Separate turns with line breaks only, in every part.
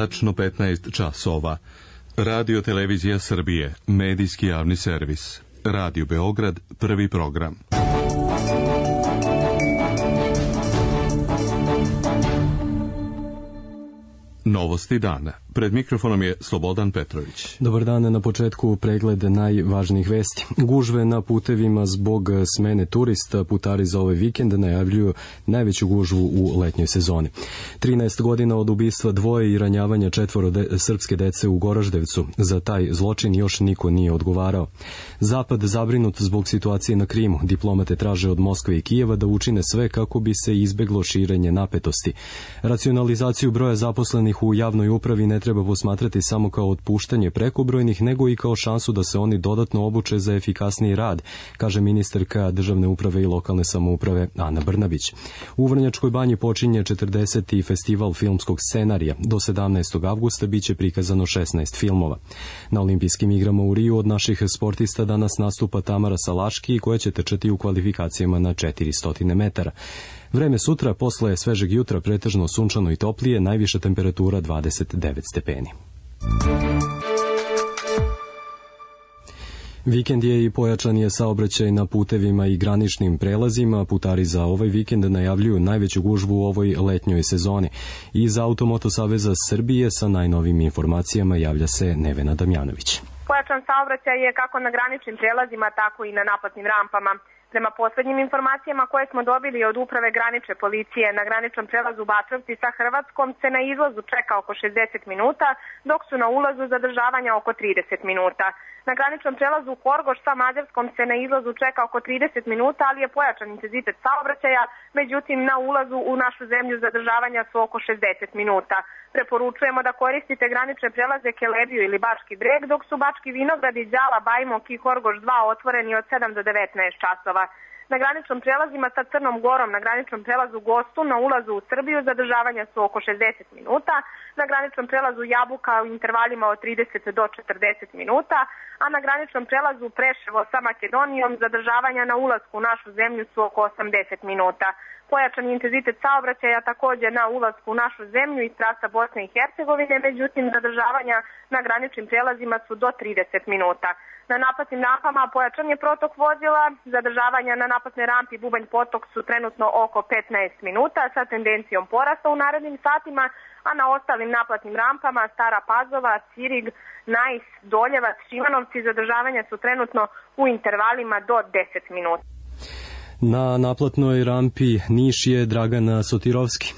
tačno 15 časova. Radio Televizija Srbije, medijski javni servis. Radio Beograd, prvi program. Novosti dana. Pred mikrofonom je Slobodan Petrović.
Dobar dan, na početku pregled najvažnijih vesti. Gužve na putevima zbog smene turista. Putari za ovaj vikend najavljuju najveću gužvu u letnjoj sezoni. 13 godina od ubistva dvoje i ranjavanja 4 srpske dece u Goraždevcu. Za taj zločin još niko nije odgovarao. Zapad zabrinut zbog situacije na Krimu. Diplomate traže od Moskve i Kijeva da učine sve kako bi se izbeglo širenje napetosti. Racionalizaciju broja zaposlenih u javnoj upravi ne treba posmatrati samo kao otpuštanje prekobrojnih, nego i kao šansu da se oni dodatno obuče za efikasniji rad, kaže ministarka državne uprave i lokalne samouprave Ana Brnabić. U Vrnjačkoj banji počinje 40. festival filmskog scenarija. Do 17. avgusta biće prikazano 16 filmova. Na olimpijskim igrama u Riju od naših sportista danas nastupa Tamara Salaški, koja će trčati u kvalifikacijama na 400 metara. Vreme sutra, posle svežeg jutra, pretežno sunčano i toplije, najviša temperatura 29 stepeni. Vikend je i pojačan je saobraćaj na putevima i graničnim prelazima. Putari za ovaj vikend najavljuju najveću gužvu u ovoj letnjoj sezoni. Iz Automoto Saveza Srbije sa najnovim informacijama javlja se Nevena Damjanović.
Pojačan saobraćaj je kako na graničnim prelazima, tako i na naplatnim rampama. Prema poslednjim informacijama koje smo dobili od Uprave granične policije, na graničnom prelazu Batrovci sa Hrvatskom se na izlazu čeka oko 60 minuta, dok su na ulazu zadržavanja oko 30 minuta. Na graničnom prelazu Horgoš sa Mađarskom se na izlazu čeka oko 30 minuta, ali je pojačan intenzitet saobraćaja, međutim na ulazu u našu zemlju zadržavanja su oko 60 minuta. Preporučujemo da koristite granične prelaze Kelebiju ili Bački Breg, dok su Bački Vinogradi, Đala, Bajmok i Horgoš 2 otvoreni od 7 do 19 časova. Na graničnom prelazima sa Crnom Gorom, na graničnom prelazu Gostu, na ulazu u Srbiju zadržavanja su oko 60 minuta, na graničnom prelazu Jabuka u intervalima od 30 do 40 minuta, a na graničnom prelazu Preševo sa Makedonijom zadržavanja na ulasku u našu zemlju su oko 80 minuta. Pojačan intenzitet saobraćaja također na ulasku u našu zemlju iz trasa Bosne i Hercegovine, međutim zadržavanja na graničnim prelazima su do 30 minuta. Na naplatnim rampama pojačan je protok vozila, zadržavanja na naplatnoj rampi Bubanj Potok su trenutno oko 15 minuta sa tendencijom porasta u narednim satima, a na ostalim naplatnim rampama Stara Pazova, Cirig, Najs, Doljevac, Šimanovci zadržavanja su trenutno u intervalima do 10 minuta.
Na naplatnoj rampi Niš je Dragana Sotirovski.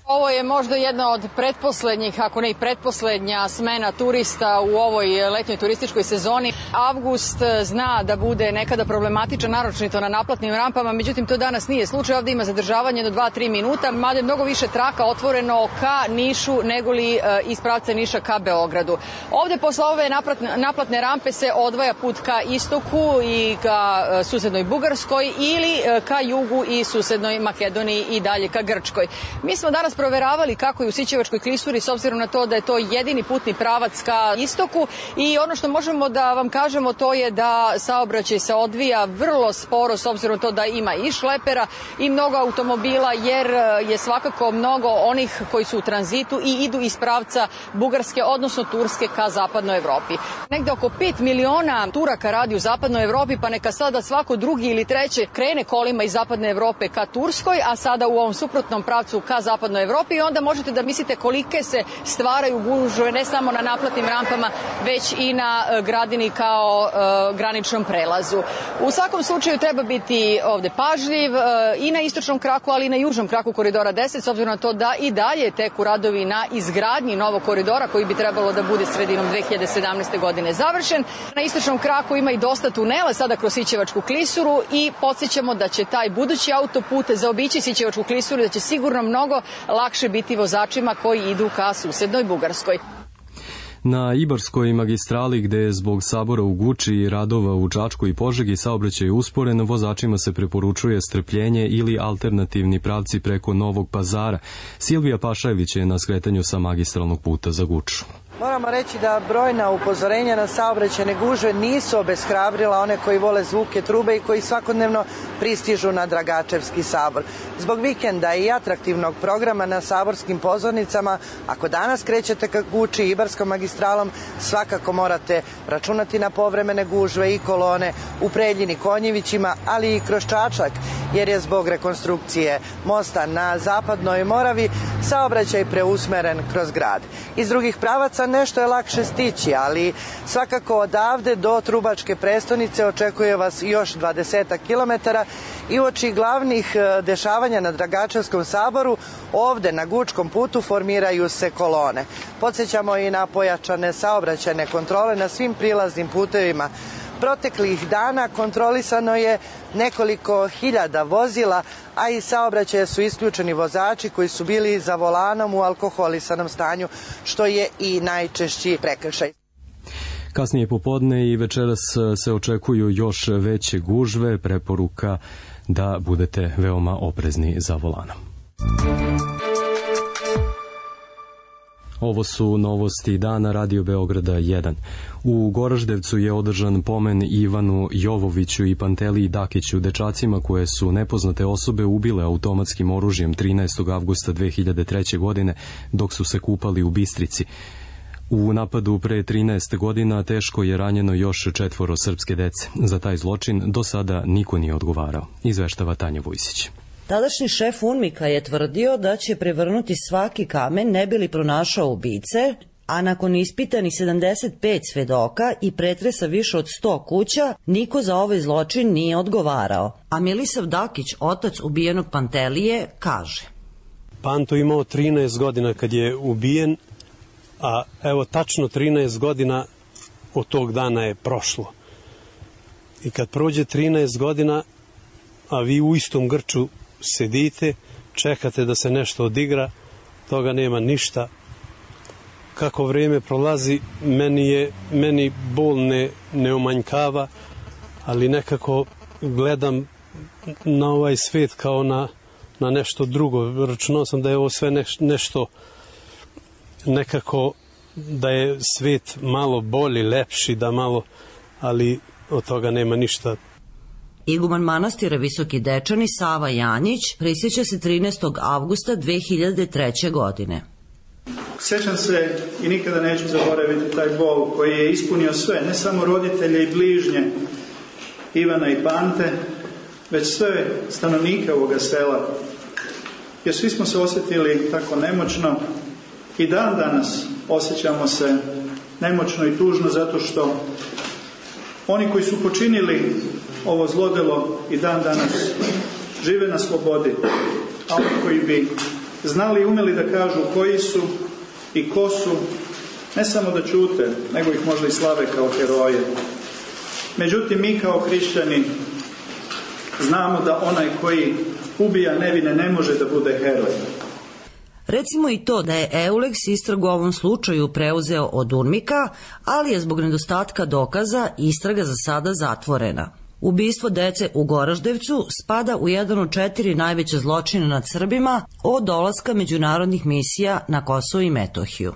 Ovo je možda jedna od pretposlednjih, ako ne i pretposlednja smena turista u ovoj letnjoj turističkoj sezoni. Avgust zna da bude nekada problematičan, naročito na naplatnim rampama, međutim to danas nije slučaj. Ovdje ima zadržavanje do 2-3 minuta, mada je mnogo više traka otvoreno ka Nišu nego li iz pravca Niša ka Beogradu. Ovdje posle ove naplatne rampe se odvaja put ka istoku i ka susednoj Bugarskoj ili ka jugu i susednoj Makedoniji i dalje ka Grčkoj. Mi smo danas proveravali kako je u Sićevačkoj klisuri, s obzirom na to da je to jedini putni pravac ka istoku, i ono što možemo da vam kažemo to je da saobraćaj se odvija vrlo sporo, s obzirom na to da ima i šlepera i mnogo automobila, jer je svakako mnogo onih koji su u tranzitu i idu iz pravca Bugarske, odnosno Turske ka zapadnoj Evropi. Negde oko 5 miliona Turaka radi u zapadnoj Evropi, pa neka sada svako drugi ili treće krene kolima iz zapadne Evrope ka Turskoj, a sada u ovom suprotnom pravcu ka zapadnoj Evropi, i onda možete da mislite kolike se stvaraju gužve ne samo na naplatnim rampama, već i na Gradini kao graničnom prelazu. U svakom slučaju treba biti ovde pažljiv i na istočnom kraku, ali i na južnom kraku koridora 10, s obzirom na to da i dalje teku radovi na izgradnji novog koridora koji bi trebalo da bude sredinom 2017. godine završen. Na istočnom kraku ima i dosta tunela sada kroz Sićevačku klisuru i podsjećamo da će taj budući autoput zaobići Sićevačku klisuru, da će sigurno mnogo lakše biti vozačima koji idu ka susednoj Bugarskoj.
Na Ibarskoj magistrali, gde je zbog sabora u Guči i radova u Čačku i Požegi saobraćaj usporen, vozačima se preporučuje strpljenje ili alternativni pravci preko Novog Pazara. Silvija Pašajević je na skretanju sa magistralnog puta za Guču.
Moramo reći da brojna upozorenja na saobraćajne gužve nisu obeshrabrila one koji vole zvuke trube i koji svakodnevno pristižu na Dragačevski sabor. Zbog vikenda i atraktivnog programa na saborskim pozornicama, ako danas krećete ka Guči i Ibarskom magistralom, svakako morate računati na povremene gužve i kolone u Preljini, Konjevićima, ali i kroz Čačak, jer je zbog rekonstrukcije mosta na Zapadnoj Moravi saobraćaj preusmeren kroz grad. Iz drugih pravaca nešto je lakše stići, ali svakako odavde do Trubačke prestonice očekuje vas još 20 kilometara i uoči glavnih dešavanja na Dragačevskom saboru, ovde na Gučkom putu formiraju se kolone. Podsećamo i na pojačane saobraćajne kontrole na svim prilaznim putevima. Proteklih dana kontrolisano je nekoliko hiljada vozila, a iz saobraćaja su isključeni vozači koji su bili za volanom u alkoholisanom stanju, što je i najčešći prekršaj.
Kasnije popodne i večeras se očekuju još veće gužve, preporuka da budete veoma oprezni za volanom. Ovo su novosti dana Radio Beograda 1. U Goraždevcu je održan pomen Ivanu Jovoviću i Panteliji Dakiću, dečacima koje su nepoznate osobe ubile automatskim oružjem 13. avgusta 2003. godine dok su se kupali u Bistrici. U napadu pre 13 godina teško je ranjeno još 4 srpske dece. Za taj zločin do sada niko nije odgovarao, izveštava Tanja Vujsić.
Tadašnji šef UNMIK-a je tvrdio da će prevrnuti svaki kamen ne bi li pronašao ubice, a nakon ispitanih 75 svedoka i pretresa više od 100 kuća, niko za ovaj zločin nije odgovarao. A Milisav Dakić, otac ubijenog Pantelije, kaže:
Panto imao 13 godina kad je ubijen, a evo tačno 13 godina od tog dana je prošlo. I kad prođe 13 godina, a vi u istom grču sedite, čekate da se nešto odigra, toga nema ništa. Kako vrijeme prolazi, meni bol ne umanjkava, ali nekako gledam na ovaj svet kao na nešto drugo. Računao sam da je ovo sve nešto nekako, da je svet malo bolji, lepši, da malo, ali od toga nema ništa.
Iguman manastira Visoki Dečani Sava Janjić prisjeća se 13. avgusta 2003. godine.
Sjećam se i nikada neću zaboraviti taj bol koji je ispunio sve, ne samo roditelje i bližnje Ivana i Pante, već sve stanovnike ovoga sela. Jer svi smo se osjetili tako nemoćno i dan danas osjećamo se nemoćno i tužno zato što oni koji su počinili ovo zlodelo i dan danas žive na slobodi, a oni koji bi znali i umeli da kažu koji su i ko su, ne samo da ćute, nego ih možda i slave kao heroje. Međutim, mi kao hrišćani znamo da onaj koji ubija nevine ne može da bude heroj.
Recimo i to da je Euleks istragu u ovom slučaju preuzeo od UNMIK-a, ali je zbog nedostatka dokaza istraga za sada zatvorena. Ubistvo dece u Goraždevcu spada u jedan od 4 najveće zločina nad Srbima od dolaska međunarodnih misija na Kosovo i Metohiju.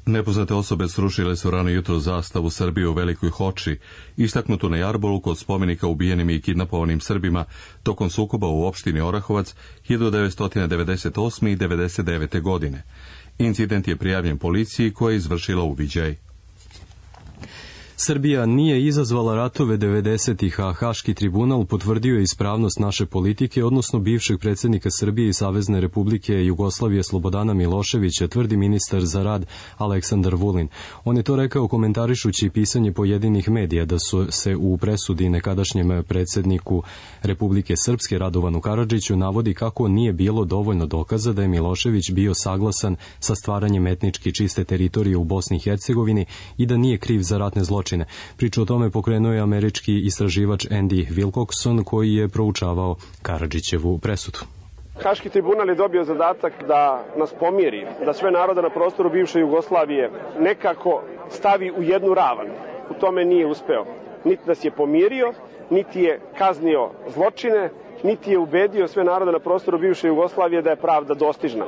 Nepoznate osobe srušile su rano jutro zastavu Srbije u Velikoj Hoči, istaknutu na Jarbolu kod spomenika ubijenim i kidnapovanim Srbima tokom sukoba u opštini Orahovac 1998. i 1999. godine. Incident je prijavljen policiji koja je izvršila uviđaj.
Srbija nije izazvala ratove 90-ih, a Haški tribunal potvrdio je ispravnost naše politike, odnosno bivšeg predsjednika Srbije i Savezne Republike Jugoslavije Slobodana Miloševića, tvrdi ministar za rad Aleksandar Vulin. On je to rekao komentarišući pisanje pojedinih medija da su se u presudi nekadašnjem predsjedniku Republike Srpske Radovanu Karadžiću navodi kako nije bilo dovoljno dokaza da je Milošević bio saglasan sa stvaranjem etnički čiste teritorije u Bosni i Hercegovini i da nije kriv za ratne zločine. Priču o tome pokrenuo je američki istraživač Andy Wilcoxon koji je proučavao Karadžićevu presudu.
Haški tribunal je dobio zadatak da nas pomiri, da sve narode na prostoru bivše Jugoslavije nekako stavi u jednu ravan. U tome nije uspeo. Niti nas je pomirio, niti je kaznio zločine, niti je ubedio sve narode na prostoru bivše Jugoslavije da je pravda dostižna.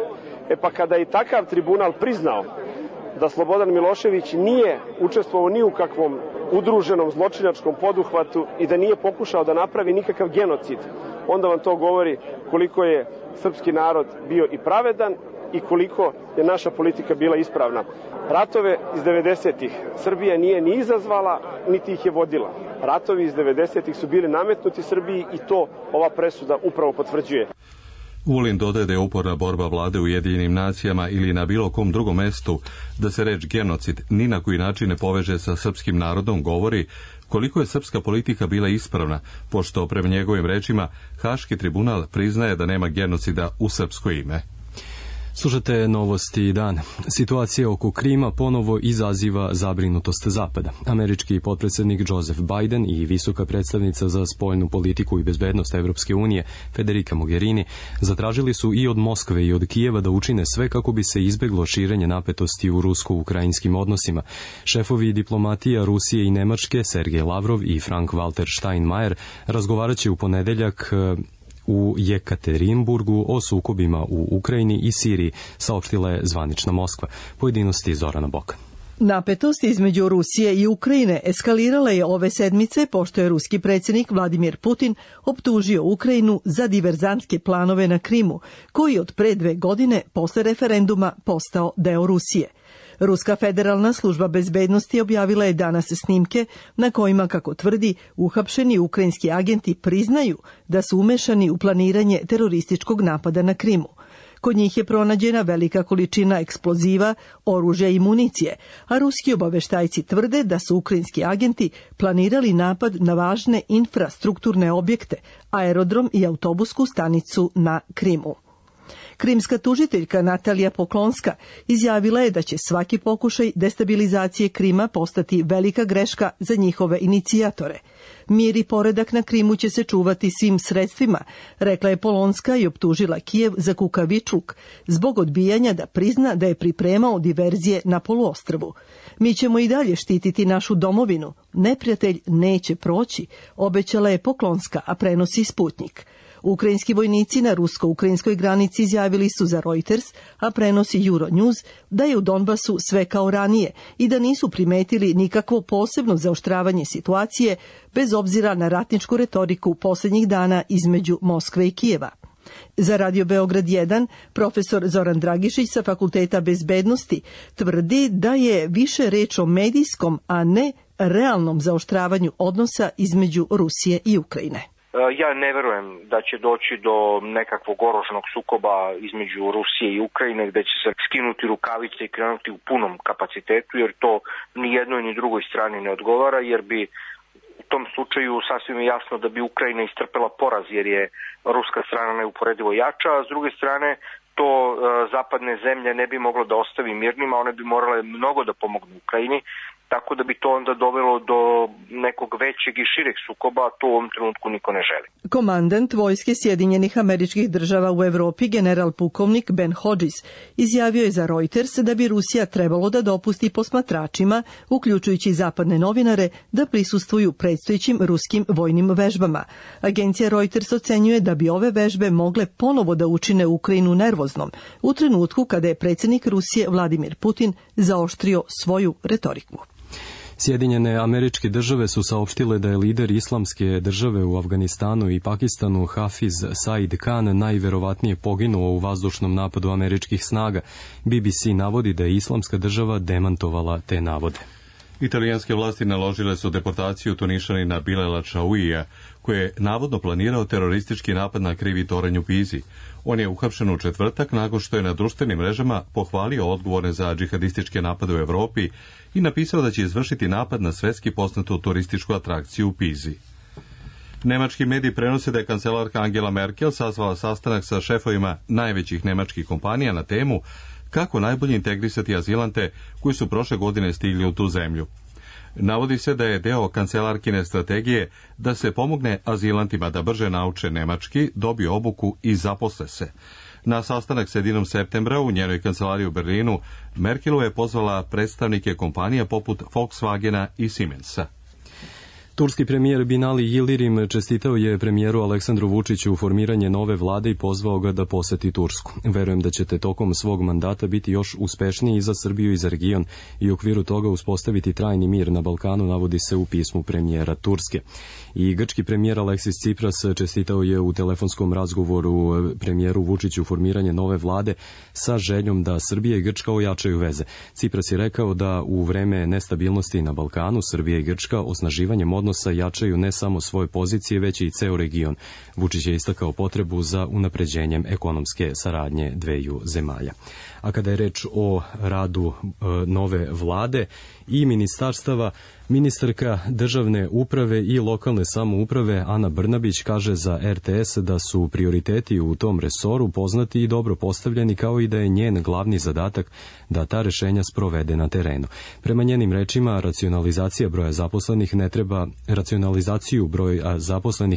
Pa kada je takav tribunal priznao da Slobodan Milošević nije učestvovao ni u kakvom udruženom zločinačkom poduhvatu i da nije pokušao da napravi nikakav genocid, onda vam to govori koliko je srpski narod bio i pravedan i koliko je naša politika bila ispravna. Ratove iz 90-ih Srbija nije ni izazvala, niti ih je vodila. Ratovi iz 90-ih su bili nametnuti Srbiji i to ova presuda upravo potvrđuje.
Vulin dodaje da je uporna borba vlade u Ujedinjenim nacijama ili na bilo kom drugom mestu da se reč genocid ni na koji način ne poveže sa srpskim narodom, govori koliko je srpska politika bila ispravna, pošto prema njegovim rečima Haški tribunal priznaje da nema genocida u srpsko ime.
Slušate Novosti dan. Situacija oko Krima ponovo izaziva zabrinutost Zapada. Američki potpredsjednik Joseph Biden i visoka predstavnica za spoljnu politiku i bezbednost Evropske unije Federica Mogherini zatražili su i od Moskve i od Kijeva da učine sve kako bi se izbeglo širenje napetosti u rusko-ukrajinskim odnosima. Šefovi diplomatija Rusije i Nemačke Sergej Lavrov i Frank-Walter Steinmeier razgovarat će u ponedeljak u Jekaterinburgu o sukobima u Ukrajini i Siriji, saopštila je zvanična Moskva. Pojedinosti Zorana Boka.
Napetost između Rusije i Ukrajine eskalirala je ove sedmice pošto je ruski predsjednik Vladimir Putin optužio Ukrajinu za diverzantske planove na Krimu, koji od pre 2 godine posle referenduma postao deo Rusije. Ruska federalna služba bezbednosti objavila je danas snimke na kojima, kako tvrdi, uhapšeni ukrajinski agenti priznaju da su umešani u planiranje terorističkog napada na Krimu. Kod njih je pronađena velika količina eksploziva, oružja i municije, a ruski obaveštajci tvrde da su ukrajinski agenti planirali napad na važne infrastrukturne objekte, aerodrom i autobusku stanicu na Krimu. Krimska tužiteljka Natalija Poklonska izjavila je da će svaki pokušaj destabilizacije Krima postati velika greška za njihove inicijatore. Mir i poredak na Krimu će se čuvati svim sredstvima, rekla je Polonska i optužila Kijev za kukavičluk zbog odbijanja da prizna da je pripremao diverzije na poluostrvu. Mi ćemo i dalje štititi našu domovinu. Neprijatelj neće proći, obećala je Poklonska, a prenosi Sputnik. Ukrajinski vojnici na rusko-ukrajinskoj granici izjavili su za Reuters, a prenosi Euronews, da je u Donbasu sve kao ranije i da nisu primetili nikakvo posebno zaoštravanje situacije bez obzira na ratničku retoriku posljednjih dana između Moskve i Kijeva. Za Radio Beograd 1 profesor Zoran Dragišić sa Fakulteta bezbednosti tvrdi da je više reč o medijskom, a ne realnom zaoštravanju odnosa između Rusije i Ukrajine.
Ja ne verujem da će doći do nekakvog oružanog sukoba između Rusije i Ukrajine gde će se skinuti rukavice i krenuti u punom kapacitetu, jer to ni jednoj ni drugoj strani ne odgovara, jer bi u tom slučaju sasvim je jasno da bi Ukrajina istrpela poraz, jer je ruska strana neuporedivo jača, a s druge strane to zapadne zemlje ne bi moglo da ostavi mirnima, one bi morale mnogo da pomognu Ukrajini, tako da bi to onda dovelo do nekog većeg i šireg sukoba, a to u ovom trenutku niko ne želi.
Komandant vojske Sjedinjenih Američkih Država u Evropi, general pukovnik Ben Hodges, izjavio je za Reuters da bi Rusija trebalo da dopusti posmatračima, uključujući zapadne novinare, da prisustvuju predstojećim ruskim vojnim vežbama. Agencija Reuters ocenjuje da bi ove vežbe mogle ponovo da učine Ukrajinu nervoznom, u trenutku kada je predsjednik Rusije Vladimir Putin zaoštrio svoju retoriku.
Sjedinjene Američke Države su saopštile da je lider islamske države u Afganistanu i Pakistanu Hafiz Said Khan najverovatnije poginuo u vazdušnom napadu američkih snaga. BBC navodi da je islamska država demantovala te navode.
Italijanske vlasti naložile su deportaciju Tunišanina Bilela Čauija, koji je navodno planirao teroristički napad na krivi toranj u Pizi. On je uhapšen u četvrtak nakon što je na društvenim mrežama pohvalio odgovorne za džihadističke napade u Evropi i napisao da će izvršiti napad na svetski poznatu turističku atrakciju u Pizi. Nemački mediji prenose da je kancelarka Angela Merkel sazvala sastanak sa šefovima najvećih nemačkih kompanija na temu kako najbolje integrisati azilante koji su prošle godine stigli u tu zemlju. Navodi se da je deo kancelarkine strategije da se pomogne azilantima da brže nauče nemački, dobiju obuku i zaposle se. Na sastanak sredinom septembra u njenoj kancelariji u Berlinu Merkelu je pozvala predstavnike kompanija poput Volkswagena i Siemensa.
Turski premijer Binali Yildirim čestitao je premijeru Aleksandru Vučiću formiranje nove vlade i pozvao ga da poseti Tursku. Verujem da ćete tokom svog mandata biti još uspešniji i za Srbiju i za region i u okviru toga uspostaviti trajni mir na Balkanu, navodi se u pismu premijera Turske. I grčki premijer Aleksis Tsipras čestitao je u telefonskom razgovoru premijeru Vučiću formiranje nove vlade sa željom da Srbija i Grčka ojačaju veze. Tsipras je rekao da u vreme nestabilnosti na Balkanu Srbija i Grčka osnaživanjem odnosa jačaju ne samo svoje pozicije, već i ceo region. Vučić je istakao potrebu za unapređenjem ekonomske saradnje dveju zemalja. A kada je reč o radu nove vlade i ministarstava, ministarka državne uprave i lokalne samouprave Ana Brnabić kaže za RTS da su prioriteti u tom resoru poznati i dobro postavljeni, kao i da je njen glavni zadatak da ta rešenja sprovede na terenu. Prema njenim rečima, racionalizaciju broja zaposlenih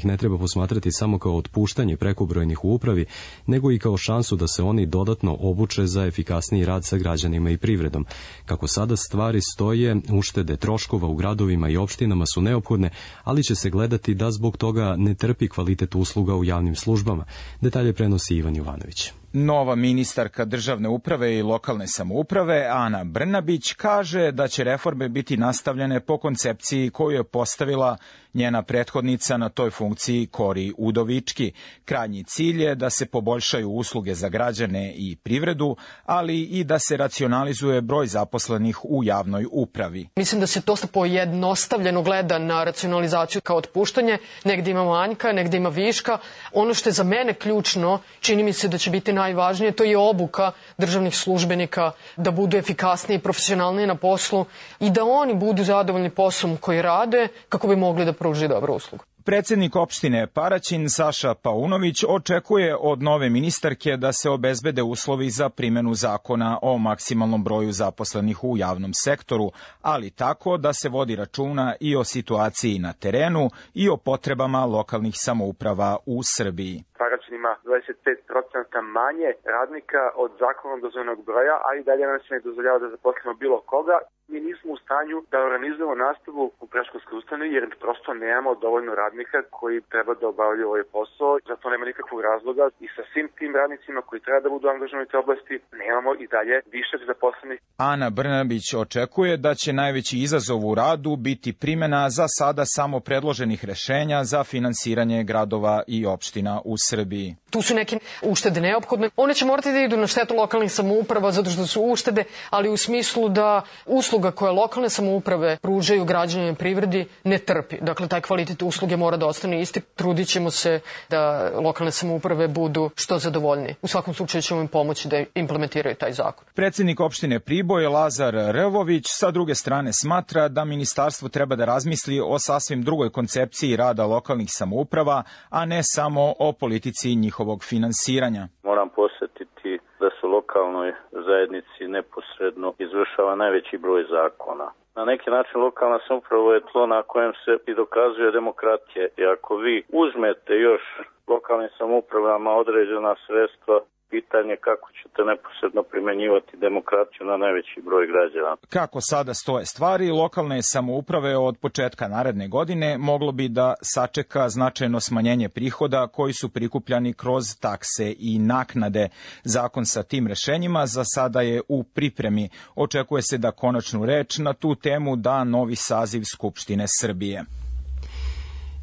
ne treba posmatrati samo kao otpuštanje prekobrojnih u upravi, nego i kao šansu da se oni dodatno obuče za efikasniji rad sa građanima i privredom. Kako sada stvari stoje, uštede troškova u gradovima i opštinama su neophodne, ali će se gledati da zbog toga ne trpi kvalitet usluga u javnim službama. Detalje prenosi Ivan Jovanović.
Nova ministarka državne uprave i lokalne samouprave Ana Brnabić kaže da će reforme biti nastavljene po koncepciji koju je postavila njena prethodnica na toj funkciji Kori Udovički. Krajnji cilj je da se poboljšaju usluge za građane i privredu, ali i da se racionalizuje broj zaposlenih u javnoj upravi.
Mislim da se dosta pojednostavljeno gleda na racionalizaciju kao otpuštanje. Negde ima manjka, negde ima viška. Ono što je za mene ključno, čini mi se da će biti najvažnije, to je obuka državnih službenika, da budu efikasniji i profesionalniji na poslu i da oni budu zadovoljni poslom koji rade kako bi mogli da pruži dobru uslugu.
Predsednik opštine Paraćin Saša Paunović očekuje od nove ministarke da se obezbede uslovi za primenu zakona o maksimalnom broju zaposlenih u javnom sektoru, ali tako da se vodi računa i o situaciji na terenu i o potrebama lokalnih samouprava u Srbiji.
Paraćin ima 25% manje radnika od zakonom dozvoljenog broja, a i dalje nam se ne dozvoljava da zaposlimo bilo koga. Mi nismo u stanju da organizujemo nastavu u predškolskoj ustanovi jer prosto nemamo dovoljno radnika koji treba da obavljaju ovaj posao. Zato nema nikakvog razloga i sa svim tim radnicima koji treba da budu angažovani u te oblasti nemamo i dalje višak zaposlenih.
Ana Brnabić očekuje da će najveći izazov u radu biti primena za sada samo predloženih rešenja za finansiranje gradova i opština u Srbiji.
Tu su neke uštede neophodne. One će morati da idu na štetu lokalnih samouprava zato što su uštede, ali u smislu da usluga koje lokalne samouprave pružaju građanima i privredi ne trpi. Dakle, taj kvalitet usluge mora da ostane isti. Trudit ćemo se da lokalne samouprave budu što zadovoljniji. U svakom slučaju ćemo im pomoći da implementiraju taj zakon.
Predsednik opštine Priboj Lazar Rvović sa druge strane smatra da ministarstvo treba da razmisli o sasvim drugoj koncepciji rada lokalnih samouprava, a ne samo o politici njihovog finansiranja.
Moram posjetiti da se lokalnoj zajednici neposredno izvršava najveći broj zakona. Na neki način lokalna samouprava je tlo na kojem se i dokazuje demokratija. I ako vi uzmete još lokalnim samoupravama određena sredstva, pitanje kako ćete neposredno primenjivati demokratiju na najveći broj građana.
Kako sada stoje stvari, lokalne samouprave od početka naredne godine moglo bi da sačeka značajno smanjenje prihoda koji su prikupljani kroz takse i naknade. Zakon sa tim rešenjima za sada je u pripremi. Očekuje se da konačnu reč na tu temu da novi saziv Skupštine Srbije.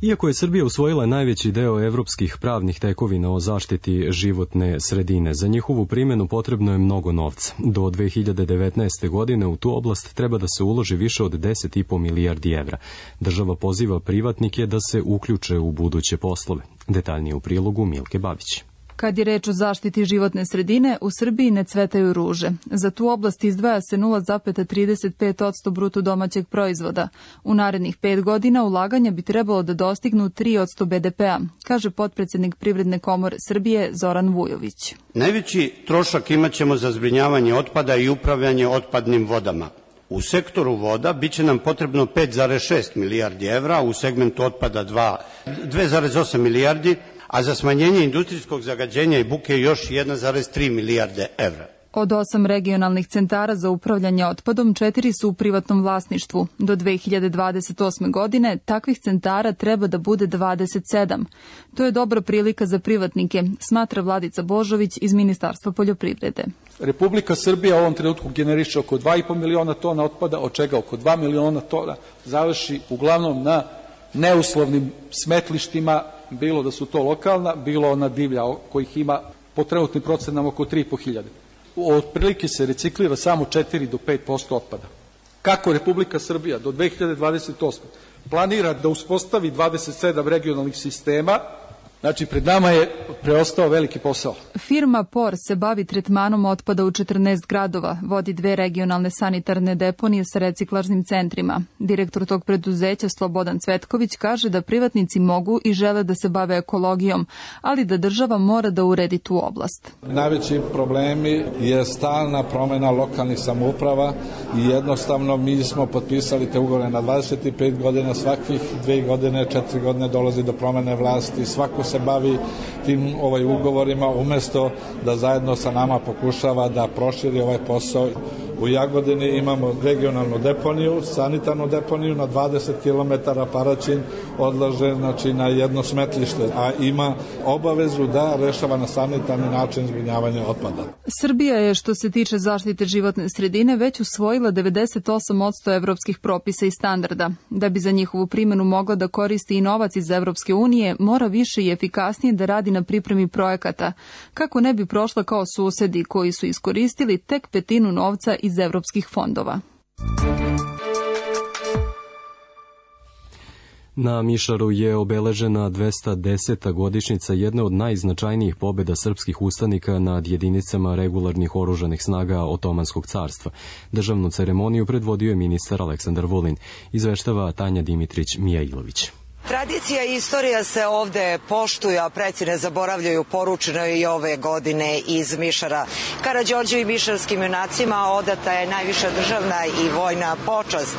Iako je Srbija usvojila najveći deo evropskih pravnih tekovina o zaštiti životne sredine, za njihovu primjenu potrebno je mnogo novca. Do 2019. godine u tu oblast treba da se uloži više od 10,5 milijardi evra. Država poziva privatnike da se uključe u buduće poslove. Detaljnije u prilogu Milke Babić.
Kad je reč o zaštiti životne sredine, u Srbiji ne cvetaju ruže. Za tu oblast izdvaja se 0,35% bruto domaćeg proizvoda. U narednih 5 godina ulaganja bi trebalo da dostignu 3% BDP-a, kaže potpredsednik Privredne komore Srbije Zoran Vujović.
Najveći trošak imaćemo za zbrinjavanje otpada i upravljanje otpadnim vodama. U sektoru voda biće nam potrebno 5,6 milijardi evra, u segmentu otpada 2,8 milijardi, a za smanjenje industrijskog zagađenja i buke još 1,3 milijarde evra.
Od 8 regionalnih centara za upravljanje otpadom, 4 su u privatnom vlasništvu. Do 2028. godine takvih centara treba da bude 27. To je dobra prilika za privatnike, smatra Vladica Božović iz Ministarstva poljoprivrede.
Republika Srbija u ovom trenutku generiše oko 2,5 miliona tona otpada, od čega oko 2 miliona tona završi uglavnom na neuslovnim smetlištima, bilo da su to lokalna, bilo ona divlja, kojih ima po trenutnim procenama oko 3.500. Otprilike se reciklira samo 4 do 5% otpada. Kako Republika Srbija do 2028. planira da uspostavi 27 regionalnih sistema, znači pred nama je preostao veliki posao.
Firma POR se bavi tretmanom otpada u 14 gradova, vodi 2 regionalne sanitarne deponije sa reciklažnim centrima. Direktor tog preduzeća Slobodan Cvetković kaže da privatnici mogu i žele da se bave ekologijom, ali da država mora da uredi tu oblast.
Najveći problemi je stalna promena lokalnih samouprava i jednostavno mi smo potpisali te ugovore na 25 godina, svakih 2 godine, 4 godine dolazi do promene vlasti, svako se bavi tim ugovorima umesto da zajedno sa nama pokušava da proširi ovaj posao. U Jagodini imamo regionalnu deponiju, sanitarnu deponiju na 20 km Paraćin odlaže na jedno smetlište, a ima obavezu da rešava na sanitarni način zbrinjavanja otpada.
Srbija je, što se tiče zaštite životne sredine, već usvojila 98% evropskih propisa i standarda. Da bi za njihovu primjenu mogla da koristi i novac iz Evropske unije, mora više i efikasnije da radi na pripremi projekata, kako ne bi prošla kao susedi koji su iskoristili tek 1/5 novca iz evropskih fondova.
Na Mišaru je obeležena 210. godišnjica jedne od najznačajnijih pobjeda srpskih ustanika nad jedinicama regularnih oružanih snaga Otomanskog carstva. Državnu ceremoniju predvodio je ministar Aleksandar Vulin, izveštava Tanja Dimitrić-Mijailović.
Tradicija i istorija se ovde poštuju, a preci ne zaboravljaju, poručeno je i ove godine iz Mišara. Karađorđevim mišarskim junacima odata je najviša državna i vojna počast.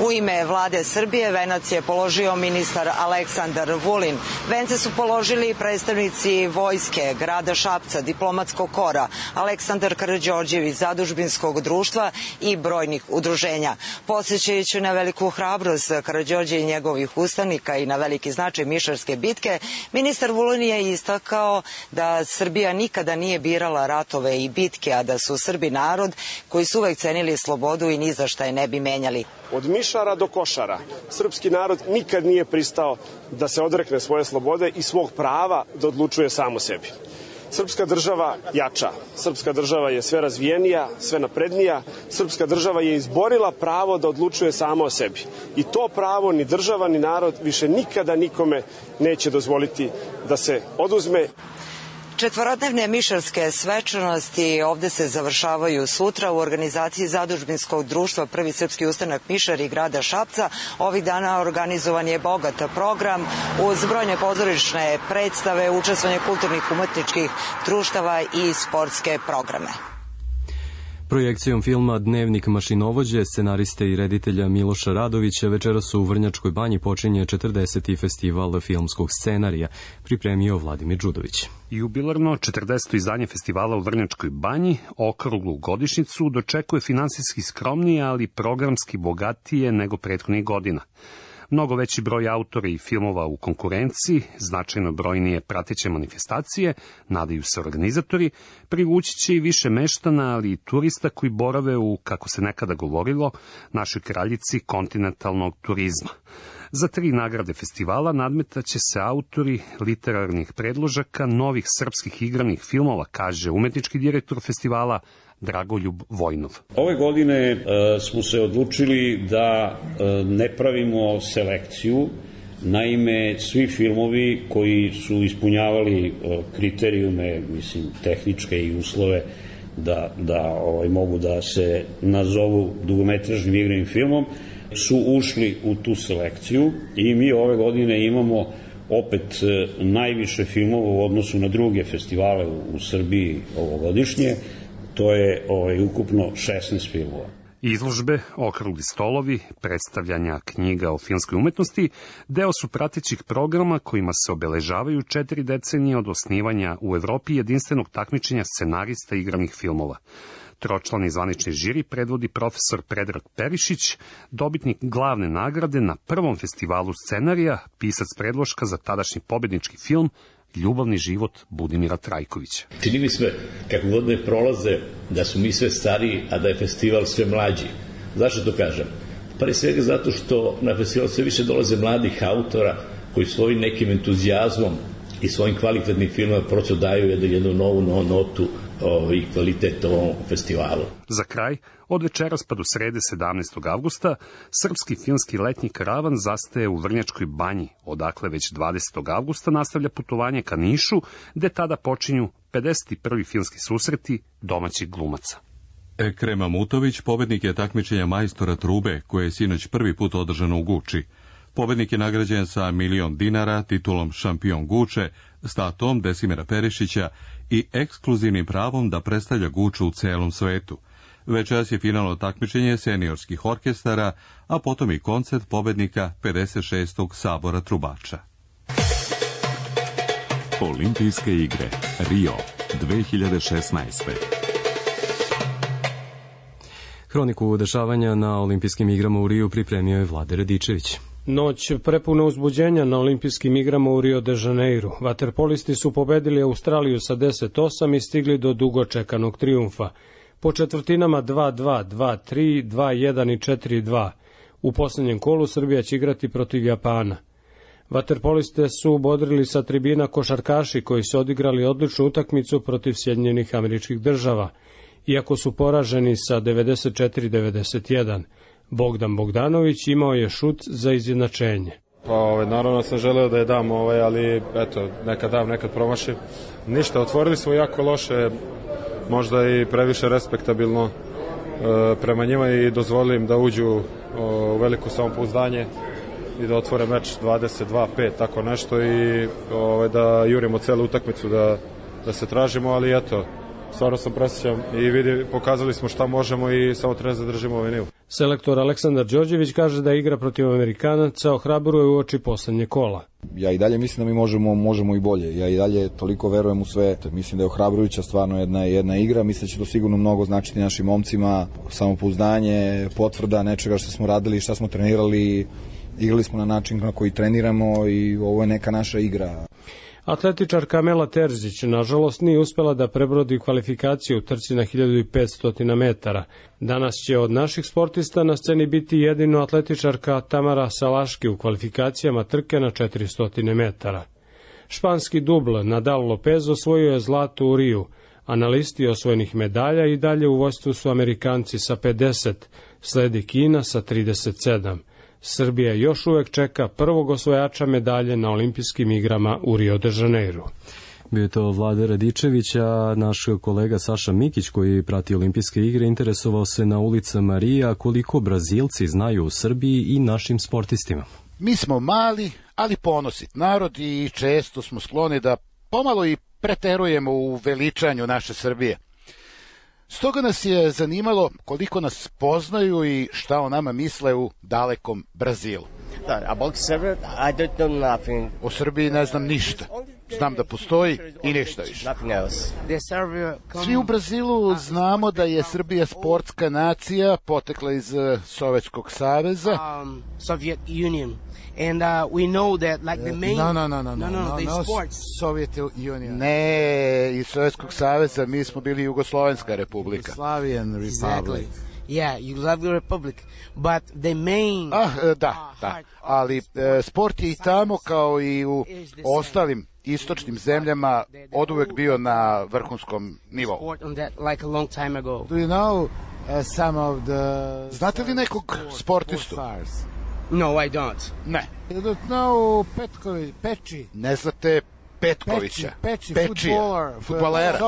U ime vlade Srbije venac je položio ministar Aleksandar Vulin. Vence su položili predstavnici vojske, grada Šapca, diplomatskog kora, Aleksandar Karađorđev iz Zadužbinskog društva i brojnih udruženja. Podsjećajući na veliku hrabrost Karađorđe i njegovih ustanika i na veliki značaj Mišarske bitke, ministar Vulin je istakao da Srbija nikada nije birala ratove i bitke, a da su Srbi narod koji su uvek cenili slobodu i ni za šta je ne bi menjali.
Od Mišara do Košara srpski narod nikad nije pristao da se odrekne svoje slobode i svog prava da odlučuje sam o sebi. Srpska država jača, srpska država je sve razvijenija, sve naprednija, srpska država je izborila pravo da odlučuje sama o sebi. I to pravo ni država ni narod više nikada nikome neće dozvoliti da se oduzme.
Četvorodnevne mišarske svečanosti ovde se završavaju sutra u organizaciji Zadužbinskog društva Prvi srpski ustanak Mišar i grada Šapca. Ovih dana organizovan je bogat program uz brojne pozorišne predstave, učestvovanje kulturnih umetničkih društava i sportske programe.
Projekcijom filma Dnevnik mašinovođe, scenariste i reditelja Miloša Radovića, večeras u Vrnjačkoj banji počinje 40. festival filmskog scenarija, pripremio Vladimir Đudović.
Jubilarno 40. izdanje festivala u Vrnjačkoj banji, okruglu godišnjicu, dočekuje finansijski skromnije, ali programski bogatije nego prethodnih godina. Mnogo veći broj autora i filmova u konkurenciji, značajno brojnije prateće manifestacije, nadaju se organizatori, privući će i više meštana, ali i turista koji borave u, kako se nekada govorilo, našoj kraljici kontinentalnog turizma. Za 3 nagrade festivala nadmetaće se autori literarnih predložaka novih srpskih igranih filmova, kaže umetnički direktor festivala Dragoljub Vojnov.
Ove godine smo se odlučili da ne pravimo selekciju. Naime, svi filmovi koji su ispunjavali kriterijume, tehničke i uslove da mogu da se nazovu dugometražnim igranim filmom, su ušli u tu selekciju i mi ove godine imamo opet najviše filmova u odnosu na druge festivale u Srbiji ovogodišnje. To je ukupno 16 filmova.
Izložbe, okrugli stolovi, predstavljanja knjiga o filmskoj umetnosti deo su pratećih programa kojima se obeležavaju 4 decenije od osnivanja u Evropi jedinstvenog takmičenja scenarista igranih filmova. Tročlani zvanični žiri predvodi profesor Predrag Perišić, dobitnik glavne nagrade na prvom festivalu scenarija, pisac predloška za tadašnji pobednički film Ljubavni život Budimira Trajkovića.
Čini mi sve, kako godine prolaze, da su mi sve stariji, a da je festival sve mlađi. Zašto to kažem? Pre svega zato što na festival sve više dolaze mladih autora koji svojim nekim entuzijazmom i svojim kvalitetnim filmama prosto daju jednu novu notu i kvalitet ovom festivalu.
Za kraj, od večeras pa do srede 17. avgusta, srpski filmski letnji karavan zastaje u Vrnjačkoj banji, odakle već 20. avgusta nastavlja putovanje ka Nišu, gde tada počinju 51. filmski susreti domaćih glumaca.
Ekrem Amutović pobednik je takmičenja majstora trube, koje je sinoć prvi put održano u Guči. Pobednik je nagrađen sa $1.000.000 dinara, titulom šampion Guče, statom Desimira Perišića i ekskluzivnim pravom da predstavlja Guču u celom svetu. Večeras je finalno takmičenje seniorskih orkestara, a potom i koncert pobednika 56. sabora trubača.
Olimpijske igre Rio 2016.
Hroniku dešavanja na Olimpijskim igrama u Riju pripremio je Vlade Radičević.
Noć prepuna uzbuđenja na Olimpijskim igrama u Rio de Janeiru. Vaterpolisti su pobedili Australiju sa 10-8 i stigli do dugo čekanog trijumfa. Po četvrtinama 2-2, 2-3, 2-1 i 4-2. U poslednjem kolu Srbija će igrati protiv Japana. Vaterpoliste su bodrili sa tribina košarkaši koji su odigrali odličnu utakmicu protiv Sjedinjenih Američkih Država, iako su poraženi sa 94-91. Bogdan Bogdanović imao je šut za izjednačenje.
Naravno sam želeo da je dam, ali eto, nekad dam, nekad promašim. Ništa, otvorili smo jako loše, možda i previše respektabilno prema njima i dozvolili im da uđu u veliko samopouzdanje i da otvore meč 22-5, tako nešto i da jurimo celu utakmicu, da se tražimo, ali eto, stvarno sam presrećan i pokazali smo šta možemo i samo treba zadržimo ovaj nivo.
Selektor Aleksandar Đorđević kaže da igra protiv Amerikanaca ohrabruje u oči poslednje kola.
Ja i dalje mislim da mi možemo i bolje. Ja i dalje toliko verujem u sve. Mislim da je ohrabrujuća stvarno jedna igra. Mislim da će to sigurno mnogo značiti našim momcima. Samopouzdanje, potvrda nečega što smo radili i šta smo trenirali. Igrali smo na način na koji treniramo i ovo je neka naša igra.
Atletičarka Amela Terzić, nažalost, nije uspela da prebrodi kvalifikaciju u trci na 1500 metara. Danas će od naših sportista na sceni biti jedino atletičarka Tamara Salaški u kvalifikacijama trke na 400 metara. Španski dubl Nadal Lopez osvojio je zlato u Riju, a na listi osvojenih medalja i dalje u vodstvu su Amerikanci sa 50, sledi Kina sa 37. Srbija još uvek čeka prvog osvojača medalje na Olimpijskim igrama u Rio de Janeiru.
Bio je to Vlade Radičević, a naš kolega Saša Mikić, koji prati Olimpijske igre, interesovao se na ulicama Rija koliko Brazilci znaju o Srbiji i našim sportistima.
Mi smo mali, ali ponosit narod i često smo skloni da pomalo i preterujemo u veličanju naše Srbije. Stoga nas je zanimalo koliko nas poznaju i šta o nama misle u dalekom Brazilu. O Srbiji ne znam ništa. Znam da postoji i ništa više. Svi u Brazilu znamo da je Srbija sportska nacija, potekla iz Sovjetskog saveza.
And we know that like the main
No, Soviet Union. Ne, iz Sovjetskog saveza mi smo bili Jugoslovenska republika.
Yugoslavian Republic. Yeah, Yugoslavian Republic, but the main
da, ali sport je i tamo kao i u ostalim istočnim zemljama oduvek bio na vrhunskom nivou.
Like a long time ago.
Do you know some of the Znate li nekog sportistu?
No, I don't.
Ne. You don't know Peči. Ne znate Petkovića.
Peči,
fudbalera.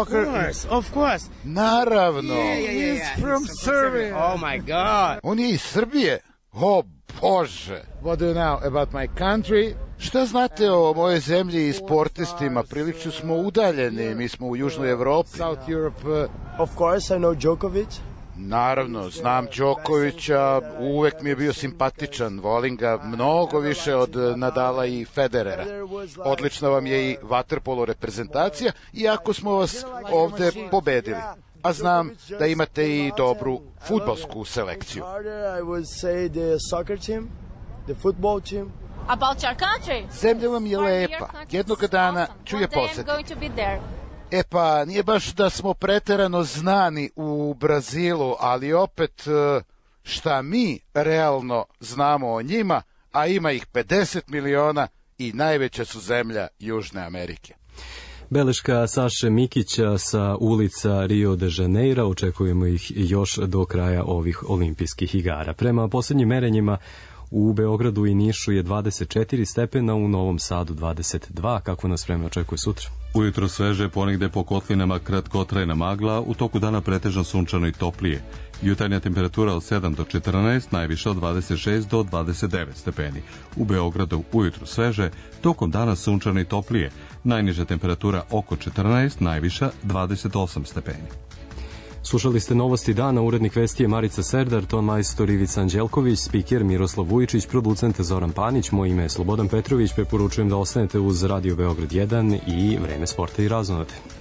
Of course.
Naravno.
He's from Serbia. Oh my God.
On je iz Srbije. O Bože.
What do you know about my country?
Šta znate o mojoj zemlji i sportistima? Prilično smo udaljeni, mi smo u Južnoj Evropi.
South Europe. Of course, I know Djokovic.
Naravno, znam Đokovića, uvek mi je bio simpatičan, volim ga mnogo više od Nadala i Federera. Odlična vam je i vaterpolo reprezentacija, iako smo vas ovde pobedili. A znam da imate i dobru fudbalsku selekciju. Zemlja vam je lepa, jednoga dana ću je posetiti. E pa, nije baš da smo preterano znani u Brazilu, ali opet šta mi realno znamo o njima, a ima ih 50 miliona i najveća su zemlja Južne Amerike.
Beleška Saše Mikića sa ulica Rio de Janeiro, očekujemo ih još do kraja ovih olimpijskih igara. Prema posljednjim merenjima u Beogradu i Nišu je 24 stepena, u Novom Sadu 22. Kako nas vreme očekuje sutra?
Ujutro sveže, ponegde po kotlinama kratkotrajna magla, u toku dana pretežno sunčano i toplije. Jutarnja temperatura od 7 do 14, najviša od 26 do 29 stepeni. U Beogradu ujutro sveže, tokom dana sunčano i toplije. Najniža temperatura oko 14, najviša 28 stepeni.
Slušali ste novosti dana, urednik vesti je Marica Serdar, ton majstor Ivica Anđelković, spiker Miroslav Vujičić, producent Zoran Panić, moje ime je Slobodan Petrović, preporučujem da ostanete uz Radio Beograd 1 i Vreme sporta i razonode.